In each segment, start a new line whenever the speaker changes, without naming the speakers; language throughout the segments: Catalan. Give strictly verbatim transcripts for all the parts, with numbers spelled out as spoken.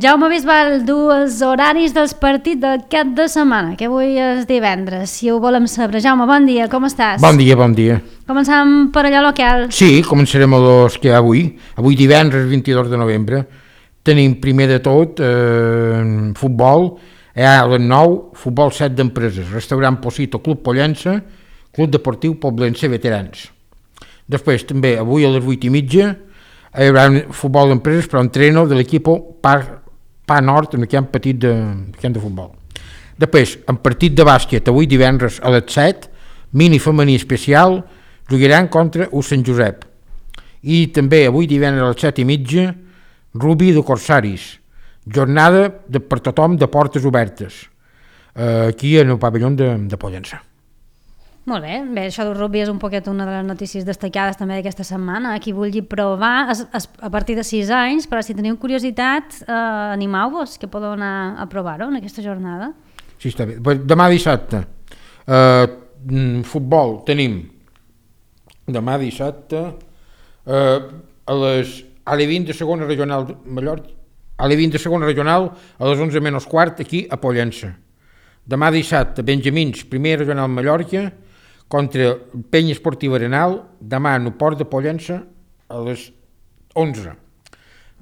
Jaume Bisbal, dos horaris dels partits del cap de setmana, que avui és divendres, si ho volem saber. Jaume, bon dia, com estàs?
Bon dia, bon dia.
Començam per allò local.
Sí, començarem amb els que hi ha avui. Avui divendres vint-i-dos de novembre. Tenim primer de tot eh, futbol, hi ha a les nou, futbol set d'empreses, restaurant Posito, Club Pollença, Club Deportiu Poblense Veterans. Després també avui a les vuit i mitja hi haurà un futbol d'empreses però entreno de l'equip Parc Pa Nord en el camp petit de, camp de futbol. Després, en partit de bàsquet, avui divendres a les set, mini femení especial, jugaran contra U Sant Josep. I també avui divendres a les set i mitja, rugby de Corsaris, jornada de, per tothom de portes obertes, eh, aquí en el pavelló de, de Pollença.
Molt bé, bé, això del rugby és un poquet una de les notícies destacades també d'aquesta setmana. Qui vulgui provar es, es, a partir de sis anys, però si teniu curiositat, eh, animeu-vos, que podeu anar a provar-ho en aquesta jornada.
Sí, està bé. Demà dissabte, eh, futbol, tenim demà dissabte eh, a les a l'E vint de segona regional de Mallorca, a l'E vint de segona regional a les onze menys quart aquí a Pollença. Demà dissabte, Benjamins, primer regional Mallorca, contra Penya Esportiva Arenal, demà en el port de Pollença a les onze.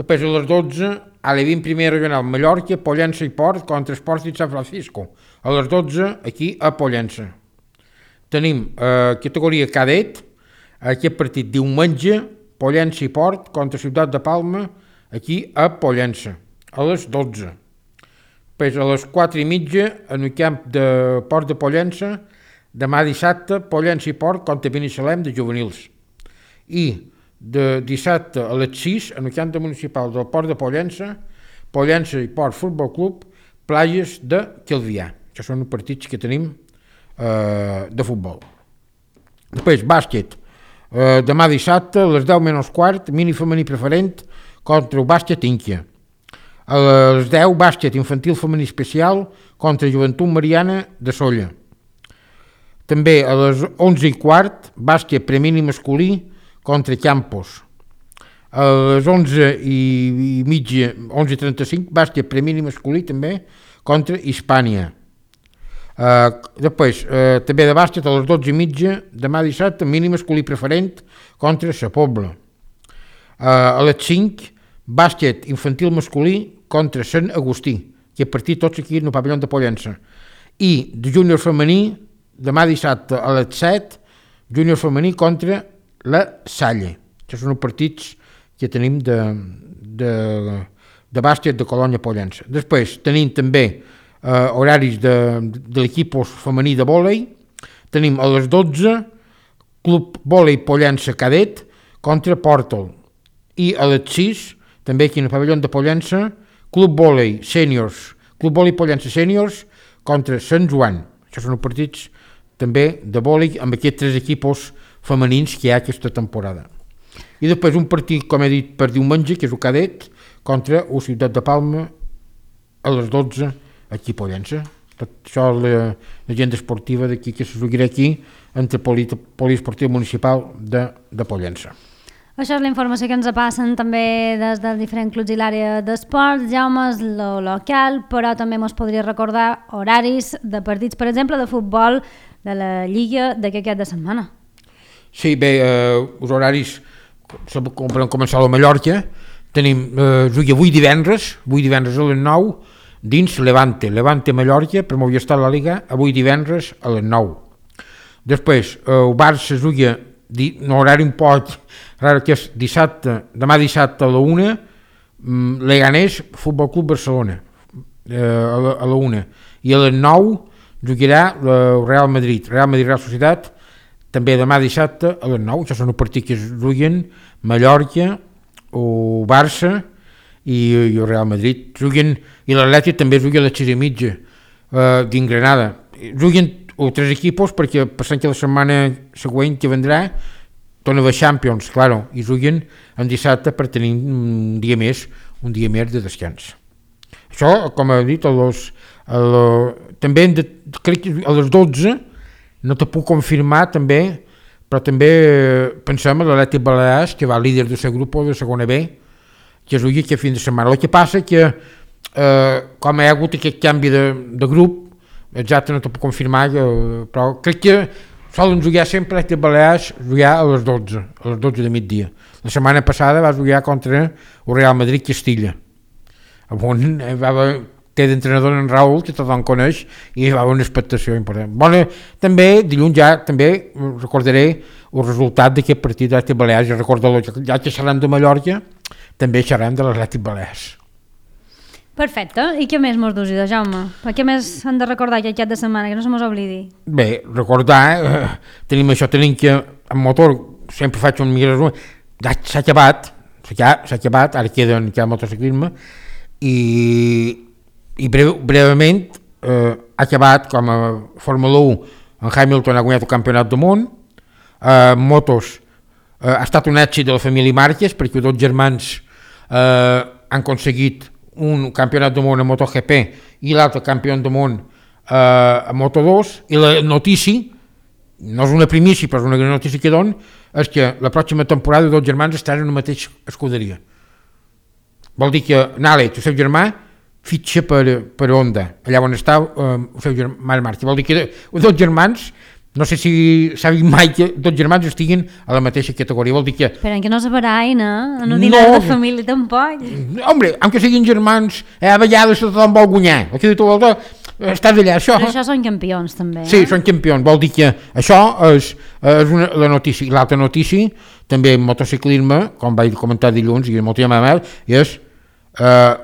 Després a les dotze, a l'E vint primer regional Mallorca, Pollença i Port contra Esports de San Francisco. A les dotze, aquí a Pollença. Tenim eh, categoria cadet, aquest partit diumenge, Pollença i Port contra Ciutat de Palma, aquí a Pollença, a les dotze. Després a les quatre i mitja, en el camp de Port de Pollença, demà dissabte, Pollença i Port contra Binissalem de juvenils. I de dissabte a les sis, en el camp municipal del Port de Pollença, Pollença i Port Futbol Club, Plages de Calvià. Això són els partits que tenim eh, de futbol. Després, bàsquet. Eh, demà dissabte, a les deu menys quart, mini femení preferent contra el bàsquet Inquia. A les deu, bàsquet infantil femení especial contra Joventut Mariana de Solla. També a les onze i quart, bàsquet premini masculí contra Campos. A les onze i mitja, onze i trenta-cinc, bàsquet premini masculí també contra Hispània. Uh, després, uh, també de bàsquet a les dotze i mitja, demà dissabte, mini masculí preferent contra Sa Pobla. Uh, a les cinc, bàsquet infantil masculí contra Sant Agustí, que he partit tots aquí en el pavelló de Pollença. I de júnior femení, demà dissabte a les set, júnior femení contra la Salle. Aquests són els partits que tenim de, de, de bàsquet de Colònia Pollença. Després tenim també eh, horaris de, de l'equip femení de vòlei. Tenim a les dotze, Club Vòlei Pollença Cadet contra Portal. I a les sis, també aquí en el pavelló de Pollença, Club Vòlei Sèniors, Club Vòlei Pollença Sèniors contra Sant Joan. Això són els partits també de vòlei amb aquests tres equips femenins que hi ha aquesta temporada. I després un partit, com he dit, per diumenge, que és el cadet, contra la Ciutat de Palma a les dotze aquí a Pollença. Tot això la l'agenda esportiva d'aquí que se jugarà aquí entre Poli, Poliesportiu Municipal de, de Pollença.
Això és la informació que ens passen també des dels diferents clubs i l'àrea d'esports. Jaume, és lo local, però també ens podria recordar horaris de partits, per exemple, de futbol de la Lliga d'aquest cap de setmana.
Sí, bé, eh, els horaris, com per començar a la Mallorca, tenim, eh, avui divendres, avui divendres a les nou, dins Levante, Levante Mallorca, per m'ho havia estat la Liga, avui divendres a les nou. Després, eh, el Barça juga un horari un poc raro, que és dissabte, demà dissabte a la una, Leganés, Futbol Club Barcelona, eh, a, la, a la una. I a les nou jugarà el Real Madrid, Real Madrid Real Societat, també demà dissabte a les nou. Això són els partits que es juguen Mallorca, o Barça i, i el Real Madrid. Juguen, i l'Atlètic també juga a les sis i mitja eh, d'Ingranada. Juguen els tres equips perquè passant que la setmana següent que vendrà torna a Champions, claro, i juguen en dissabte per tenir un dia més, un dia més de descans. Això, com he dit, a los, a lo, també de, crec que a les dotze, no te puc confirmar també, però també pensem a l'Atlètic Balears, que va líder del seu grup de segona B, que es jugui aquest fin de setmana. El que passa que eh, com hi ha hagut aquest canvi de, de grup, exacte no t'ho puc confirmar, jo, però crec que solen jugar sempre a Balears jugar a les dotze, a les dotze de migdia. La setmana passada va jugar contra el Real Madrid Castilla, on va haver, té d'entrenador en Raúl, que tothom coneix, i hi va haver una expectació important. Bona, també, dilluns ja també recordaré el resultat d'aquest partit d'Atlètic Balears, ja recordo, ja que seran de Mallorca, també seran de l'Atlètic Balears.
Perfecte. I què més mos dus, Jaume? Per què més han de recordar aquest cap de setmana, que no se mos oblidi? Bé,
recordar, eh, tenim això, tenim que en motor, sempre faig un millor resum, ja s'ha acabat, s'ha acabat, ara queda, queda el motociclisme, i, i breu, breument eh, ha acabat com a Fórmula u, en Hamilton ha guanyat el campionat del món, eh, motos, eh, ha estat un èxit de la família Márquez, perquè dos germans eh, han aconseguit un campionat del món a MotoGP i l'altre campió del món eh, a Moto dos, i la notícia, no és una primícia però és una gran notícia que don, és que la pròxima temporada dos germans estaran en la mateixa escuderia. Vol dir que Nale, el seu germà, fitxa per, per Honda, allà on està eh, el seu germà Marc. Vol dir que dos germans, no sé si s'ha vist mai que dos germans estiguin a la mateixa categoria, vol dir que...
Però que no se barain, eh? No dinar no, de família tampoc.
Hombre, aunque siguin germans, eh, a vegades tothom vol guanyar. Aquí tu vol, estàs allà, això...
Però això són campions, també.
Sí, eh? Són campions, vol dir que això és, és una, la notícia. I l'altra notícia, també en motociclisme, com vaig comentar dilluns, i molt tema mel, és eh,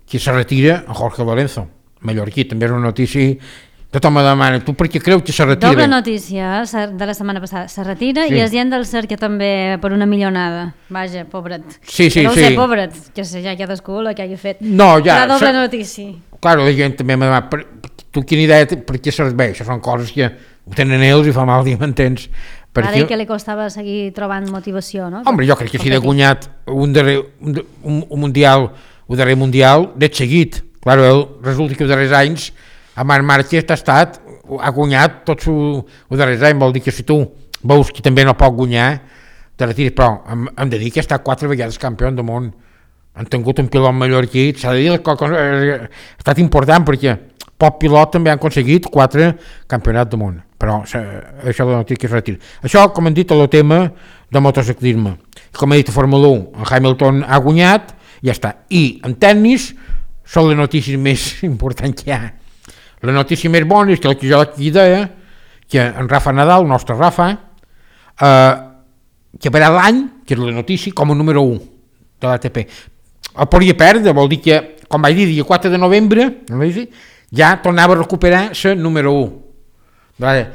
que se retira en Jorge Lorenzo, mallorquí, també és una notícia... Tothom me demana, tu per què creus que se retira?
Doble notícia de la setmana passada, se retira, sí. I és gent del C E R que també per una milionada. Vaja, pobret.
Sí, sí,
no
sí.
sé, pobret, que sé ja cadascú el que hagi fet.
No, ja.
La doble notícia.
Claro, la gent també me demana, per, tu quina idea per què serveix? Això són coses que ho tenen ells i fa mal dir, m'entens?
Ara que li costava seguir trobant motivació, no?
Home, jo crec que si he guanyat un, darrer, un, un, un mundial, un darrer mundial, d'et seguit. Claro, ell, resulta que els darrers anys a Marc Márquez ha estat, ha guanyat tots els darrers anys, vol dir que si tu veus que també no pot guanyar, te retires, però hem, hem de dir que ha estat quatre vegades campió del món, han tingut un pilot mallorquí, s'ha de dir que ha estat important perquè poc pilot també han aconseguit quatre campionats del món, però això és la notícia que es retira. Això, com hem dit, és el tema de motociclisme. Com he dit, a Fórmula u, en Hamilton ha guanyat, ja està. I en tennis són les notícies més importants que hi ha. La notícia més bona és que el que jo aquí deia, que en Rafa Nadal, el nostre Rafa, eh, que per l'any, que és la notícia, com a número u de l'A T P. El podria perdre, vol dir que, com vaig dir, dia quatre de novembre, ja tornava a recuperar la número u. Vale.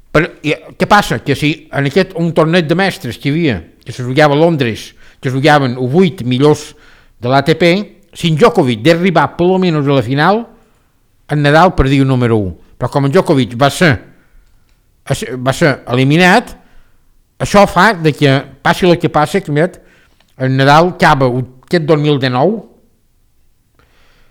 Però, i, què passa? Que si en aquest un torneig de mestres que hi havia, que se jugava a Londres, que es jugaven els vuit millors de l'A T P, si en Djokovic d'arribar per almenys a la final, en Nadal perdia el número u, però com en Djokovic va ser, va ser eliminat, això fa de que passi el que passi, que en Nadal acaba aquest dos mil dinou,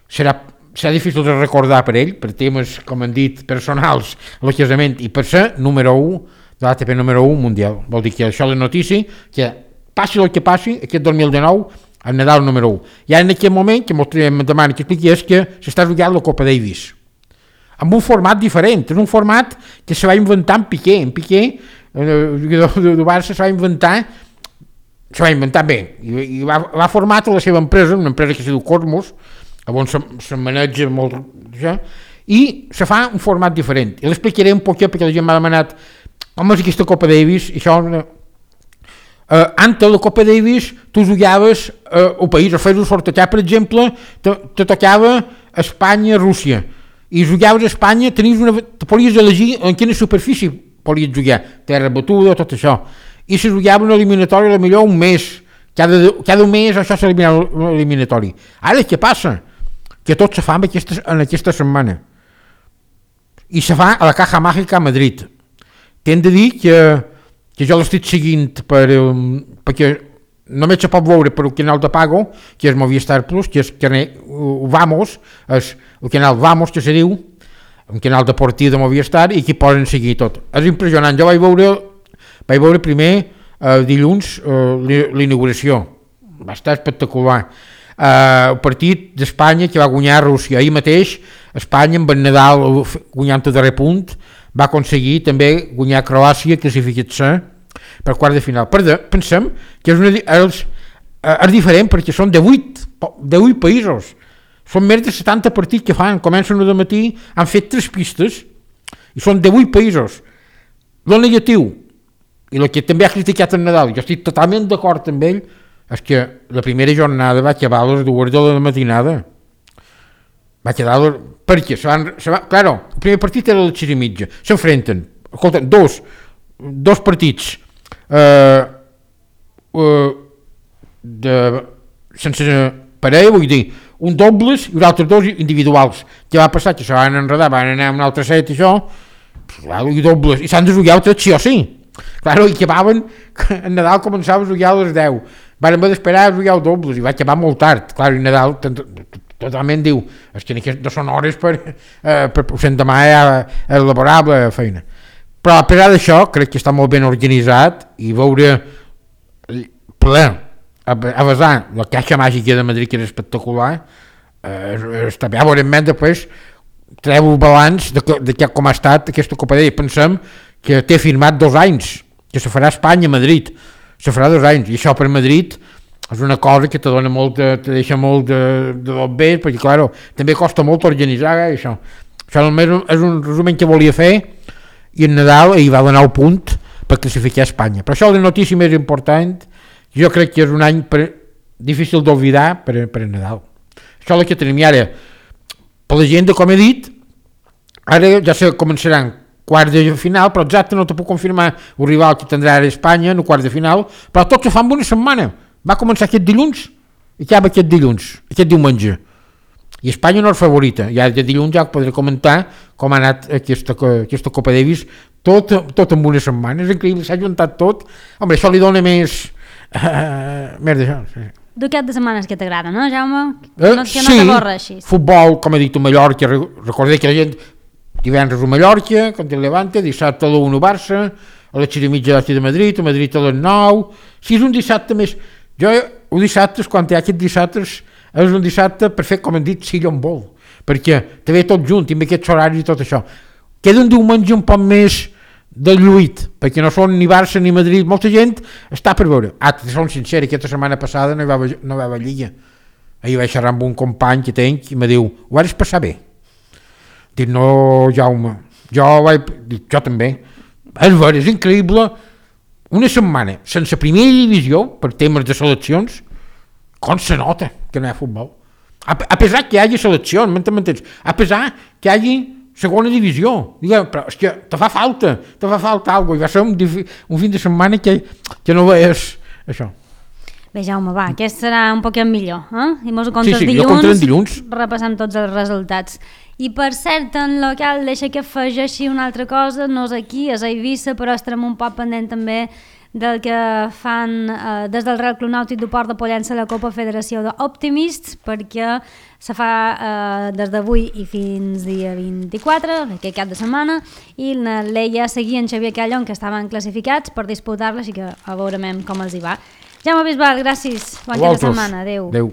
serà, serà difícil de recordar per ell, per temes, com han dit, personals, el casament, i per ser número u de l'A T P número u mundial. Vol dir que això és la notícia, que passi el que passi, aquest dos mil dinou, el Nadal número u. I ara en aquest moment, que em demana que expliqui, és que s'està jugant la Copa Davis, amb un format diferent, és un format que se va inventar en Piqué, en Piqué, el jugador de Barça, se va inventar, se va inventar bé, i, i va, va formar la seva empresa, una empresa que es diu Cosmos, on se, se maneja molt, ja, i se fa un format diferent, i l'explicaré un poc perquè la gent m'ha demanat, com és aquesta Copa Davis, i això... Uh, antes la Copa Davis tu jugaves uh, al país, a fer-ho sortejar, per exemple, te, te tocava Espanya-Rússia, i jugaves a Espanya, tenies una, te podies elegir en quina superfície podies jugar, terra batuda, tot això, i se jugava una eliminatòria, millor un mes, cada, cada mes això s'eliminava l'eliminatori. Ara què passa? Que tot se fa en aquesta, en aquesta setmana, i se fa a la Caja Mágica a Madrid. T'hem de dir que que jo l'estic seguint per, um, perquè només se pot veure per el canal de pago, que és Movistar Plus, que és uh, Vamos, és el canal Vamos, que se diu, un canal deportiu de Movistar, i que poden seguir tot. És impressionant, jo vaig veure, vaig veure primer uh, dilluns uh, l'inauguració, va estar espectacular. el partit d'Espanya que va guanyar Rússia ahir mateix, Espanya amb el Nadal guanyant el darrer punt va aconseguir també guanyar Croàcia, classificar-se per quart de final. Per de, pensem que és, una, és, és diferent perquè són de vuit països, són més de setanta partits que fan, comencen de matí, han fet tres pistes i són de vuit països. El negatiu i el que també ha criticat el Nadal, jo estic totalment d'acord amb ell, és que la primera jornada va acabar a les dues de la matinada. Va quedar... Perquè se van... Se va, claro, el primer partit era a les sis i mitja. S'enfrenten. Escolta, dos, dos partits eh, eh, de, sense parella, vull dir, un dobles i un altre dos individuals. Què va passar? Que se van enredar, van anar a un altre set i això, claro, i dobles, i s'han de jugar tres sí o sí. Claro, i acabaven, en Nadal començava a jugar a les deu. Van haver d'esperar a jugar dobles i va acabar molt tard. Claro, i Nadal totalment diu, és que no són hores per, eh, per sent demà és laborable feina. Però a pesar d'això, crec que està molt ben organitzat i veure ple, a, a vessar la caixa màgica de Madrid, que és espectacular, eh, està bé, a veure, després treu el balanç de, de que, com ha estat aquesta Copa d'Ell. Pensem que té firmat dos anys, que se farà a Espanya, a Madrid, se farà dos anys, i això per Madrid és una cosa que te dona molt, de, te deixa molt de, de dos bé, perquè, claro, també costa molt organitzar eh, això. Això només és un resum que volia fer, i en Nadal hi va donar el punt per classificar a Espanya. Però això és la notícia més important, jo crec que és un any per, difícil d'oblidar per, per Nadal. Això és el que tenim i ara. Per la gent, com he dit, ara ja se començaran quarts de final, però exacte no te puc confirmar el rival que tindrà ara Espanya en el quart de final, però tot se fa en una setmana. Va començar aquest dilluns i acaba aquest dilluns, aquest diumenge. I Espanya no és favorita. Ja de dilluns ja podré comentar com ha anat aquesta, aquesta Copa Davis tot, tot en una setmana. És increïble, s'ha juntat tot. Home, això li dona més... Uh, més d'això, sí.
Du cap de setmanes que t'agrada, no, Jaume?
Eh,
no, que
sí,
no t'avorreixis.
Futbol, com he dit, a Mallorca, recordeu que la gent divendres a Mallorca, contra el Levante, dissabte a l'u a Barça, a les sis i mitja de Madrid, a Madrid a les nou, si és un dissabte més... Jo, un dissabte, quan hi ha aquests dissabtes, és un dissabte per fer, com hem dit, sigui on vol, perquè te ve tot junt, i amb aquests horaris i tot això. Queda un diumenge un poc més del lluït, perquè no són ni Barça ni Madrid, molta gent està per veure. Ah, te som sincer, aquesta setmana passada no hi va, no hi va Lliga. Ahir vaig xerrar amb un company que tenc i me diu, ho vas passar bé? Dic, no, Jaume, jo vaig... Dic, jo també. És ver, és increïble, una setmana sense primera divisió, per temes de seleccions, com se nota que no hi ha futbol. A, a pesar que hi hagi seleccions, m'entens? A pesar que hi hagi segona divisió, digue, però és que te fa falta, te fa falta alguna cosa, i va ser un, un fin de setmana que, que no veies això.
Bé, Jaume, va, aquest serà un poquet millor, eh? I mos ho comptes
sí, sí,
dilluns,
dilluns,
repassant tots els resultats. I per cert, en local, deixa que afegeixi una altra cosa, no és aquí, és a Eivissa, però estarem un poc pendent també del que fan eh, des del Real Club Nàutic de Port de Pollença la Copa Federació d'Optimists, perquè se fa eh, des d'avui i fins dia vint-i-quatre, aquest cap de setmana, i la Leia seguia en Xavier Callon, que estaven classificats per disputar-la, així que a veurem com els hi va. Jaume Bisbal, gràcies, bon cap de setmana, adeu.
Adeu.